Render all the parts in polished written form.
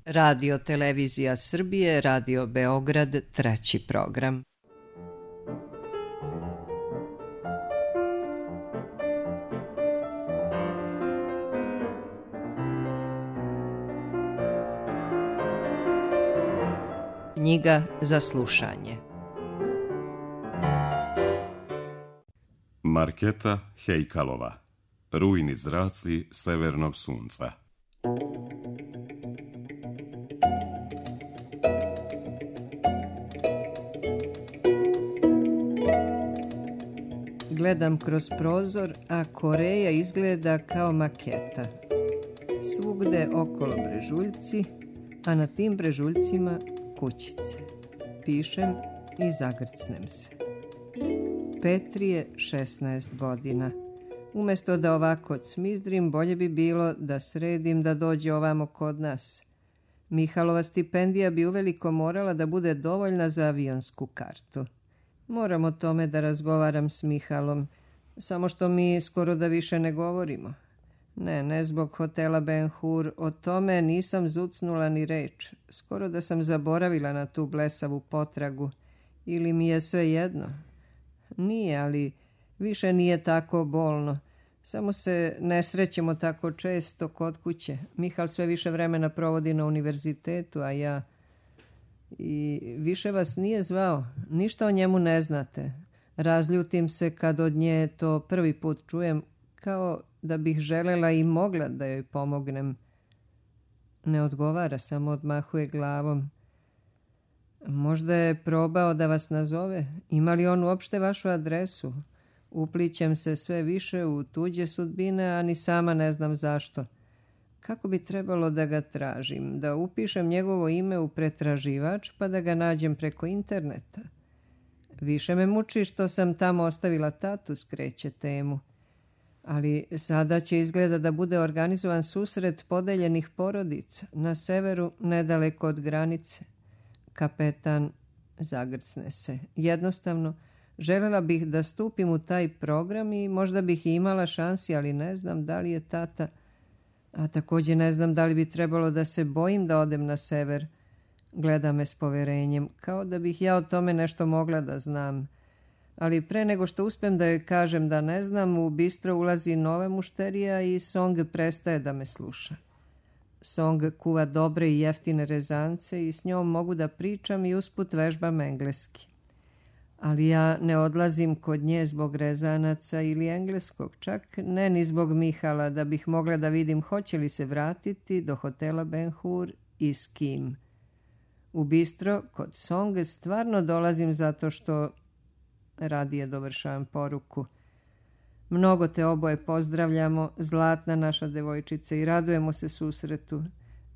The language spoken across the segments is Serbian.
Radio Televizija Srbije, Radio Beograd, treći program. Knjiga za slušanje. Marketa Hejkalova. Rujni zraci severnog sunca. Gledam kroz prozor, a Koreja izgleda kao maketa. Svugde okolo brežuljci, a na tim brežuljcima kućice. Pišem i zagrcnem se. Petri je 16 godina. Umesto da ovako cmizdrim, bolje bi bilo da sredim da dođe ovamo kod nas. Mihalova stipendija bi uveliko morala da bude dovoljna za avionsku kartu. Moram o tome da razgovaram s Mihalom, samo što mi skoro da više ne govorimo. Ne zbog hotela Ben Hur, o tome nisam zucnula ni reč. Skoro da sam zaboravila na tu blesavu potragu. Ili mi je sve jedno? Nije, ali više nije tako bolno. Samo se ne srećemo tako često kod kuće. Mihal sve više vremena provodi na univerzitetu, a ja... I više vas nije zvao. Ništa o njemu ne znate. Razljutim se kad od nje to prvi put čujem, kao da bih želela i mogla da joj pomognem. Ne odgovara, samo odmahuje glavom. Možda je probao da vas nazove. Ima li on uopšte vašu adresu? Uplićem se sve više u tuđe sudbine, a ni sama ne znam zašto. Kako bi trebalo da ga tražim? Da upišem njegovo ime u pretraživač pa da ga nađem preko interneta? Više me muči što sam tamo ostavila tatu, skreće temu. Ali sada će izgleda da bude organizovan susret podeljenih porodica na severu, nedaleko od granice. Kapetan zagrcne se. Jednostavno, želela bih da stupim u taj program i možda bih imala šansi, ali ne znam da li je tata... A također ne znam da li bi trebalo da se bojim da odem na sever. Gleda me s poverenjem, kao da bih ja o tome nešto mogla da znam. Ali pre nego što uspem da joj kažem da ne znam, u bistro ulazi nova mušterija i Song prestaje da me sluša. Song kuva dobre i jeftine rezance i s njom mogu da pričam i usput vežbam engleski. Ali ja ne odlazim kod nje zbog rezanaca ili engleskog, čak ne ni zbog Mihala, da bih mogla da vidim hoće li se vratiti do hotela Ben Hur i s kim. U bistro kod Song stvarno dolazim zato što... Radije dovršavam poruku. Mnogo te oboje pozdravljamo, zlatna naša devojčica, i radujemo se susretu.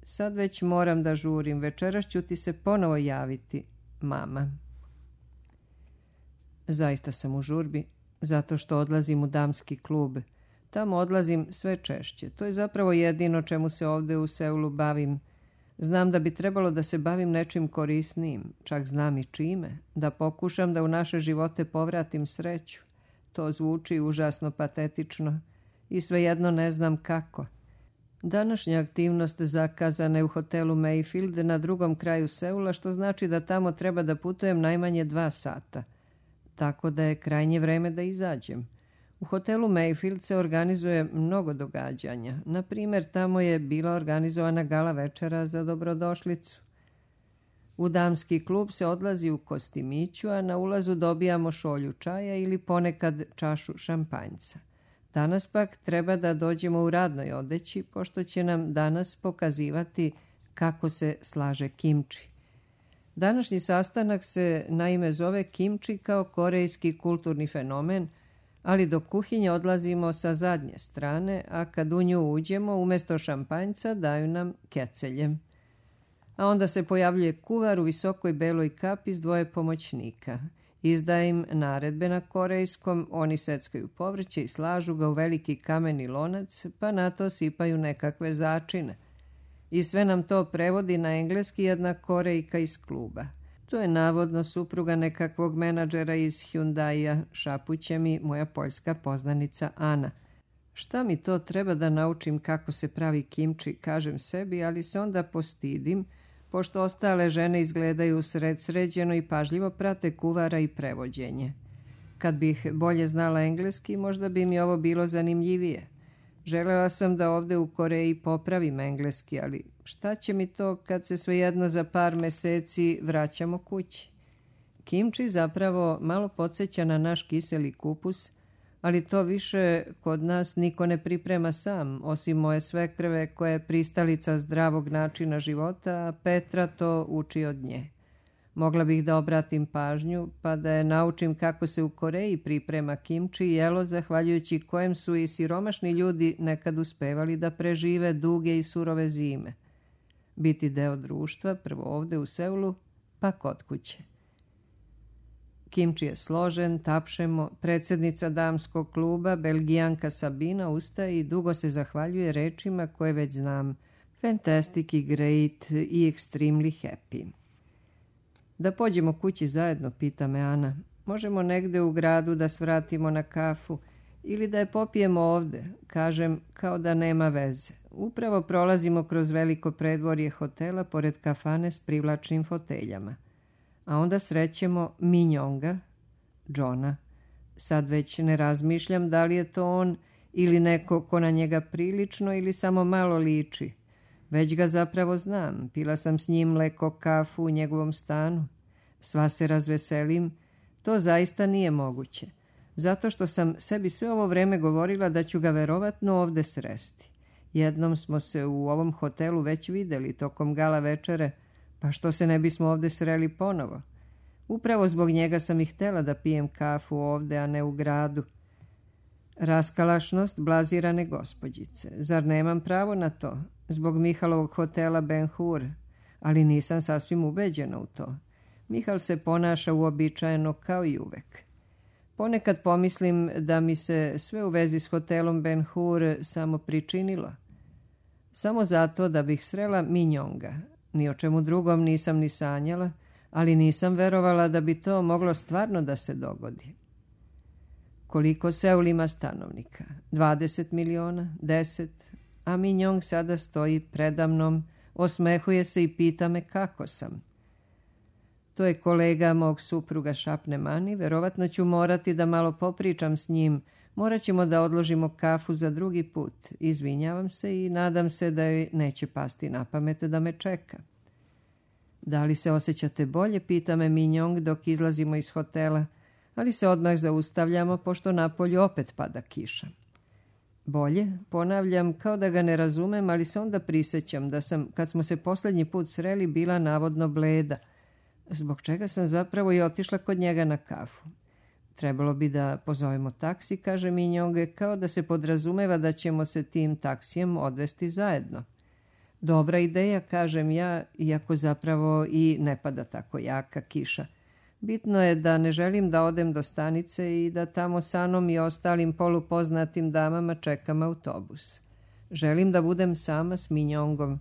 Sad već moram da žurim, večeras ću ti se ponovo javiti, mama. Zaista sam u žurbi, zato što odlazim u damski klub. Tamo odlazim sve češće. To je zapravo jedino čemu se ovdje u Seulu bavim. Znam da bi trebalo da se bavim nečim korisnijim, čak znam i čime, da pokušam da u naše živote povratim sreću. To zvuči užasno patetično i svejedno ne znam kako. Današnja aktivnost zakazana je u hotelu Mayfield na drugom kraju Seula, što znači da tamo treba da putujem najmanje 2 sata. Tako da je krajnje vreme da izađem. U hotelu Mayfield se organizuje mnogo događanja. Na primjer, tamo je bila organizovana gala večera za dobrodošlicu. U damski klub se odlazi u kostimiću, a na ulazu dobijamo šolju čaja ili ponekad čašu šampanjca. Danas pak treba da dođemo u radnoj odeći, pošto će nam danas pokazivati kako se slaže kimči. Današnji sastanak se naime zove kimči kao korejski kulturni fenomen, ali do kuhinje odlazimo sa zadnje strane, a kad u nju uđemo, umjesto šampanjca daju nam kecelje. A onda se pojavljuje kuvar u visokoj beloj kapi s 2 pomoćnika. Izdaje im naredbe na korejskom, oni seckaju povrće i slažu ga u veliki kameni lonac, pa na to sipaju nekakve začine. I sve nam to prevodi na engleski jedna Korejka iz kluba. To je navodno supruga nekakvog menadžera iz Hyundaia, šapuće mi moja poljska poznanica Ana. Šta mi to treba da naučim kako se pravi kimči, kažem sebi, ali se onda postidim, pošto ostale žene izgledaju sređeno i pažljivo prate kuvara i prevođenje. Kad bih bolje znala engleski, možda bi mi ovo bilo zanimljivije. Želela sam da ovde u Koreji popravim engleski, ali šta će mi to kad se svejedno za par meseci vraćamo kući? Kimči zapravo malo podsjeća na naš kiseli kupus, ali to više kod nas niko ne priprema sam, osim moje svekrve koja je pristalica zdravog načina života, a Petra to uči od nje. Mogla bih da obratim pažnju, pa da je naučim kako se u Koreji priprema kimči, jelo zahvaljujući kojem su i siromašni ljudi nekad uspevali da prežive duge i surove zime. Biti deo društva, prvo ovde u Seulu, pa kod kuće. Kimči je složen, tapšemo, predsjednica damskog kluba, Belgijanka Sabina, ustaje i dugo se zahvaljuje rečima koje već znam. Fantastic i great i extremely happy. Da pođemo kući zajedno, pita me Ana. Možemo negde u gradu da svratimo na kafu ili da je popijemo ovde, kažem kao da nema veze. Upravo prolazimo kroz veliko predvorje hotela pored kafane s privlačnim foteljama. A onda srećemo Minjonga, Johna. Sad već ne razmišljam da li je to on ili neko ko na njega prilično ili samo malo liči. Već ga zapravo znam, pila sam s njim mleko kafu u njegovom stanu. Sva se razveselim, to zaista nije moguće. Zato što sam sebi sve ovo vreme govorila da ću ga verovatno ovde sresti. Jednom smo se u ovom hotelu već videli tokom gala večere, pa što se ne bismo ovde sreli ponovo? Upravo zbog njega sam i htjela da pijem kafu ovde, a ne u gradu. Raskalašnost blazirane gospođice. Zar nemam pravo na to? Zbog Mihalovog hotela Ben Hur. Ali nisam sasvim ubeđena u to. Mihal se ponaša uobičajeno kao i uvek. Ponekad pomislim da mi se sve u vezi s hotelom Ben Hur samo pričinilo. Samo zato da bih srela Minjonga. Ni o čemu drugom nisam ni sanjala, ali nisam verovala da bi to moglo stvarno da se dogodi. Koliko Seul ima stanovnika? 20 miliona? 10? A Minjong sada stoji predamnom, osmehuje se i pita me kako sam. To je kolega mog supruga, šapne Mani, verovatno ću morati da malo popričam s njim, morat ćemo da odložimo kafu za drugi put. Izvinjavam se i nadam se da joj neće pasti na pamet da me čeka. Da li se osjećate bolje, pita me Minjong dok izlazimo iz hotela, ali se odmah zaustavljamo pošto napolju opet pada kiša. Bolje, ponavljam kao da ga ne razumem, ali se onda prisećam da sam, kad smo se posljednji put sreli, bila navodno bleda, zbog čega sam zapravo i otišla kod njega na kafu. Trebalo bi da pozovemo taksi, kaže Minjong, kao da se podrazumeva da ćemo se tim taksijem odvesti zajedno. Dobra ideja, kažem ja, iako zapravo i ne pada tako jaka kiša. Bitno je da ne želim da odem do stanice i da tamo sa Anom i ostalim polupoznatim damama čekam autobus. Želim da budem sama s Minjongom.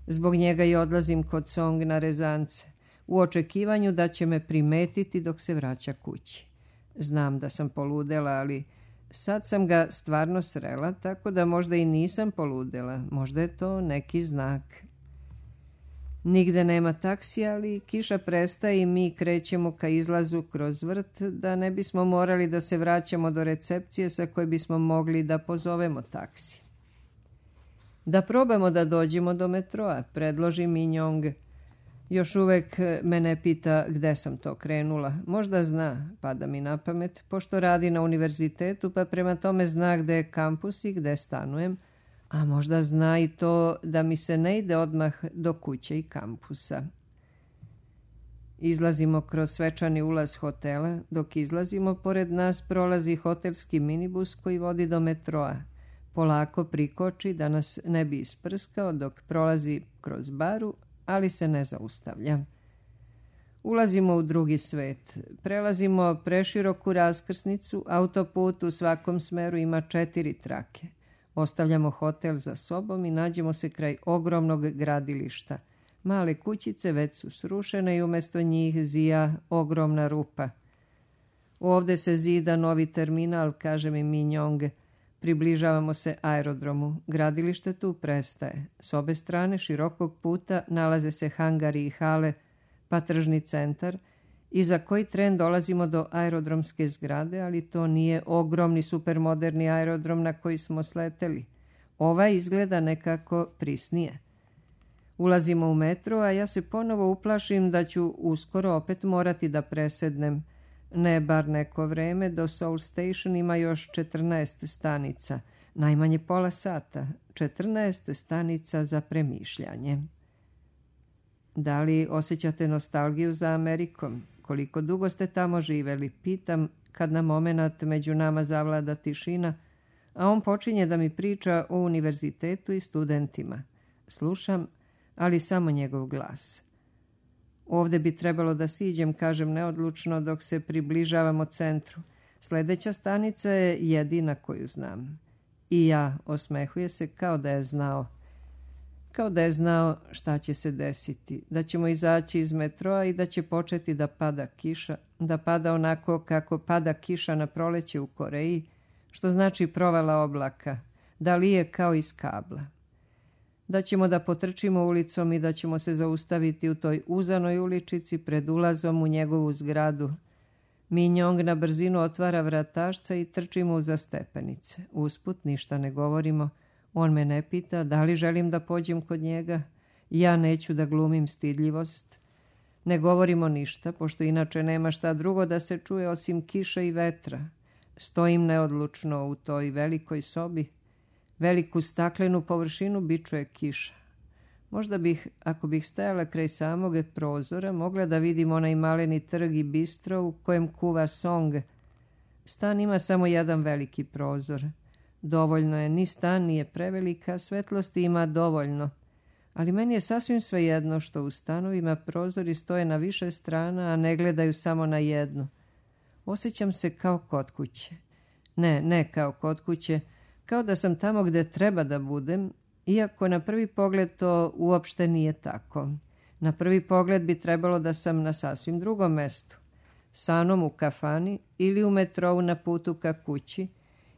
Zbog njega i odlazim kod Song na rezance, u očekivanju da će me primetiti dok se vraća kući. Znam da sam poludela, ali sad sam ga stvarno srela, tako da možda i nisam poludela. Možda je to neki znak. Nigde nema taksija, ali kiša prestaje i mi krećemo ka izlazu kroz vrt, da ne bismo morali da se vraćamo do recepcije sa koje bismo mogli da pozovemo taksi. Da probamo da dođemo do metroa, predloži Minjong. Još uvek me ne pita gde sam to krenula. Možda zna, pada mi na pamet, pošto radi na univerzitetu, pa prema tome zna gde je kampus i gde stanujem, a možda zna i to da mi se ne ide odmah do kuće i kampusa. Izlazimo kroz svečani ulaz hotela. Dok izlazimo, pored nas prolazi hotelski minibus koji vodi do metroa. Polako prikoči da nas ne bi isprskao dok prolazi kroz baru, ali se ne zaustavlja. Ulazimo u drugi svet. Prelazimo preširoku raskrsnicu, autoput u svakom smeru ima 4 trake. Ostavljamo hotel za sobom i nađemo se kraj ogromnog gradilišta. Male kućice već su srušene i umjesto njih zija ogromna rupa. Ovde se zida novi terminal, kaže mi Minjong. Približavamo se aerodromu. Gradilište tu prestaje. S obe strane širokog puta nalaze se hangari i hale, pa tržni centar, i za koji tren dolazimo do aerodromske zgrade, ali to nije ogromni supermoderni aerodrom na koji smo sleteli. Ovaj izgleda nekako prisnije. Ulazimo u metro, a ja se ponovo uplašim da ću uskoro opet morati da presednem. Ne bar neko vreme, do Seoul Station ima još 14 stanica. Najmanje pola sata. 14 stanica za premišljanje. Da li osjećate nostalgiju za Amerikom? Koliko dugo ste tamo živeli? Pitam kad na momenat među nama zavlada tišina, a on počinje da mi priča o univerzitetu i studentima. Slušam, ali samo njegov glas. Ovde bi trebalo da siđem, kažem neodlučno, dok se približavamo centru. Sljedeća stanica je jedina koju znam. I ja, osmehuje se kao da je znao. Kao da je znao šta će se desiti, da ćemo izaći iz metroa i da će početi da pada kiša, da pada onako kako pada kiša na proleće u Koreji, što znači provala oblaka, da lije kao iz kabla. Da ćemo da potrčimo ulicom i da ćemo se zaustaviti u toj uzanoj uličici pred ulazom u njegovu zgradu. Minjong na brzinu otvara vratašca i trčimo uza stepenice. Usput ništa ne govorimo. On me ne pita da li želim da pođem kod njega. Ja neću da glumim stidljivost. Ne govorimo ništa, pošto inače nema šta drugo da se čuje osim kiše i vetra. Stojim neodlučno u toj velikoj sobi. Veliku staklenu površinu bičuje kiša. Možda bih, ako bih stajala kraj samog prozora, mogla da vidim onaj maleni trg i bistro u kojem kuva Song. Stan ima samo jedan veliki prozor. Dovoljno je, ni stan nije prevelika, svetlosti ima dovoljno. Ali meni je sasvim svejedno što u stanovima prozori stoje na više strana, a ne gledaju samo na jednu. Osjećam se kao kod kuće. Ne kao kod kuće, kao da sam tamo gde treba da budem, iako na prvi pogled to uopšte nije tako. Na prvi pogled bi trebalo da sam na sasvim drugom mestu. Sanom u kafani ili u metrou na putu ka kući,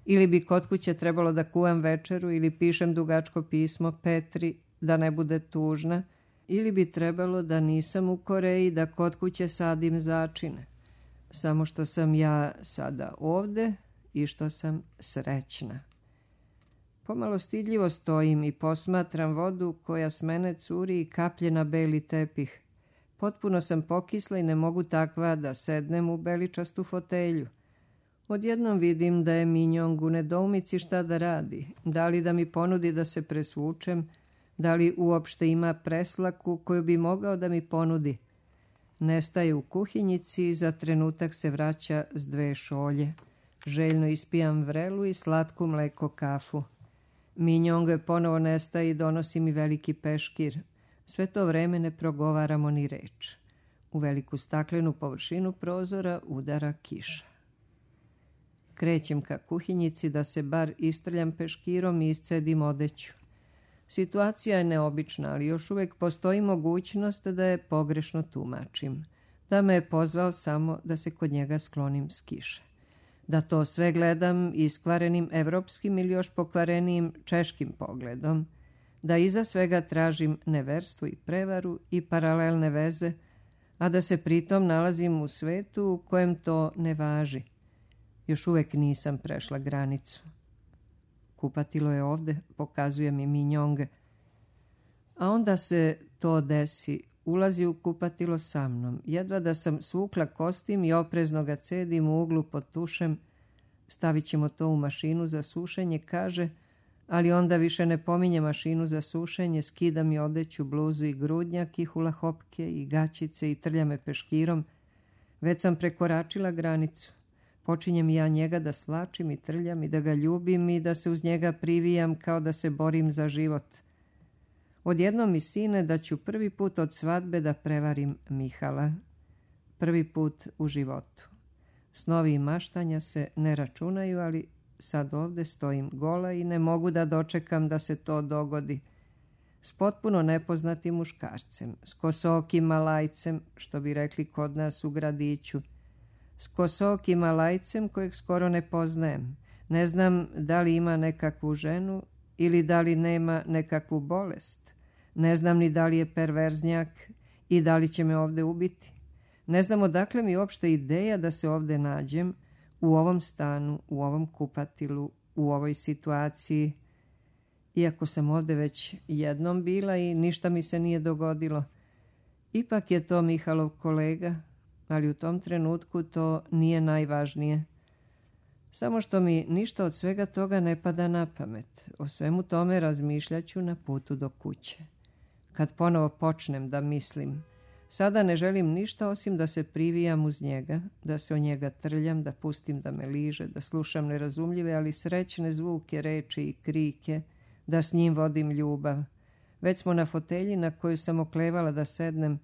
ili bi kod kuće trebalo da kuvam večeru ili pišem dugačko pismo Petri da ne bude tužna, ili bi trebalo da nisam u Koreji, da kod kuće sadim začine. Samo što sam ja sada ovde i što sam srećna. Pomalo stidljivo stojim i posmatram vodu koja s mene curi i kaplje na beli tepih. Potpuno sam pokisla i ne mogu takva da sednem u beličastu fotelju. Odjednom vidim da je Minjong u nedoumici šta da radi. Da li da mi ponudi da se presvučem, da li uopšte ima preslaku koju bi mogao da mi ponudi. Nestaje u kuhinjici i za trenutak se vraća s 2 šolje. Željno ispijam vrelu i slatku mleko kafu. Minjong ponovo nestaje i donosi mi veliki peškir. Sve to vreme ne progovaramo ni reč. U veliku staklenu površinu prozora udara kiša. Krećem ka kuhinjici da se bar istrljam peškirom i iscedim odeću. Situacija je neobična, ali još uvijek postoji mogućnost da je pogrešno tumačim. Da me je pozvao samo da se kod njega sklonim s kiše. Da to sve gledam iskvarenim evropskim ili još pokvarenijim češkim pogledom. Da iza svega tražim neverstvo i prevaru i paralelne veze, a da se pritom nalazim u svetu u kojem to ne važi. Još uvijek nisam prešla granicu. Kupatilo je ovde, pokazuje mi Minjong. A onda se to desi. Ulazi u kupatilo sa mnom. Jedva da sam svukla kostim i oprezno ga cedim u uglu pod tušem. Stavit ćemo to u mašinu za sušenje, kaže, ali onda više ne pominje mašinu za sušenje, skida mi odeću, bluzu i grudnjak i hulahopke i gaćice i trlja me peškirom. Već sam prekoračila granicu. Počinjem ja njega da svlačim i trljam i da ga ljubim i da se uz njega privijam kao da se borim za život. Odjednom mi sine da ću prvi put od svadbe da prevarim Mihala. Prvi put u životu. Snovi i maštanja se ne računaju, ali sad ovde stojim gola i ne mogu da dočekam da se to dogodi. S potpuno nepoznatim muškarcem, s kosokim malajcem, što bi rekli kod nas u gradiću. S kosokim malajcem kojeg skoro ne poznajem. Ne znam da li ima nekakvu ženu ili da li nema nekakvu bolest. Ne znam ni da li je perverznjak i da li će me ovde ubiti. Ne znam odakle mi uopšte ideja da se ovde nađem, u ovom stanu, u ovom kupatilu, u ovoj situaciji. Iako sam ovde već jednom bila i ništa mi se nije dogodilo. Ipak je to Mihalov kolega, ali u tom trenutku to nije najvažnije. Samo što mi ništa od svega toga ne pada na pamet. O svemu tome razmišljaću na putu do kuće. Kad ponovo počnem da mislim, sada ne želim ništa osim da se privijam uz njega, da se o njega trljam, da pustim da me liže, da slušam nerazumljive, ali srećne zvuke, reči i krike, da s njim vodim ljubav. Već smo na fotelji na koju sam oklevala da sednem.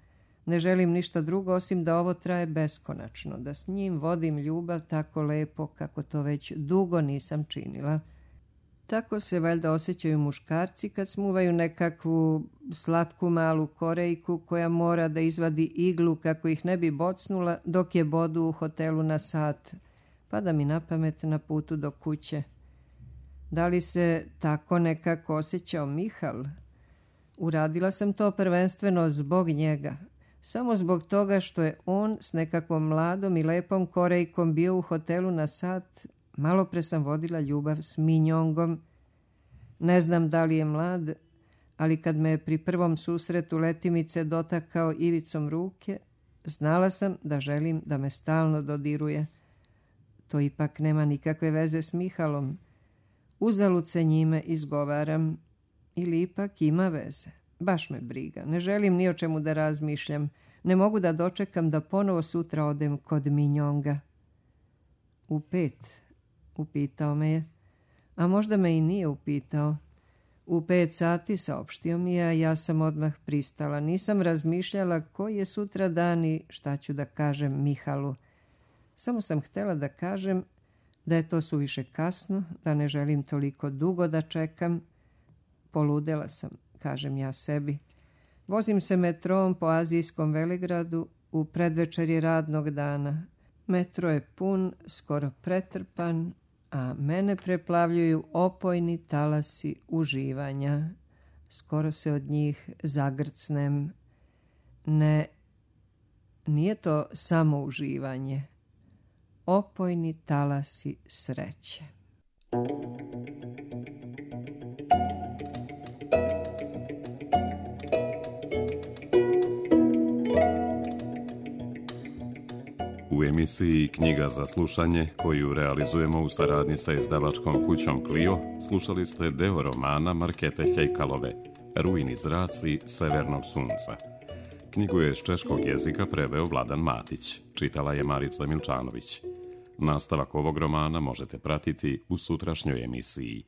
Ne želim ništa drugo osim da ovo traje beskonačno, da s njim vodim ljubav tako lepo kako to već dugo nisam činila. Tako se valjda osjećaju muškarci kad smuvaju nekakvu slatku malu Korejku koja mora da izvadi iglu kako ih ne bi bocnula dok je bodu u hotelu na sat. Pada mi na pamet na putu do kuće. Da li se tako nekako osjećao Mihal? Uradila sam to prvenstveno zbog njega. Samo zbog toga što je on s nekakvom mladom i lepom Korejkom bio u hotelu na sat. Malo pre sam vodila ljubav s Minjongom. Ne znam da li je mlad, ali kad me je pri prvom susretu letimice dotakao ivicom ruke, znala sam da želim da me stalno dodiruje. To ipak nema nikakve veze s Mihalom. Uzalud se njime izgovaram. Ili ipak ima veze. Baš me briga. Ne želim ni o čemu da razmišljam. Ne mogu da dočekam da ponovo sutra odem kod Minjonga. U 5, upitao me je. A možda me i nije upitao. U 5 sati saopštio mi je, a ja sam odmah pristala. Nisam razmišljala koji je sutra dan i šta ću da kažem Mihalu. Samo sam htjela da kažem da je to suviše kasno, da ne želim toliko dugo da čekam. Poludela sam, kažem ja sebi. Vozim se metrom po azijskom velegradu u predvečerje radnog dana. Metro je pun, skoro pretrpan, a mene preplavljuju opojni talasi uživanja. Skoro se od njih zagrcnem. Ne, nije to samo uživanje. Opojni talasi sreće. U emisiji Knjiga za slušanje, koju realizujemo u saradnji sa izdavačkom kućom Clio, slušali ste deo romana Markete Hejkalove, Rujni zraci severnog sunca. Knjigu je iz češkog jezika preveo Vladan Matić, čitala je Marica Milčanović. Nastavak ovog romana možete pratiti u sutrašnjoj emisiji.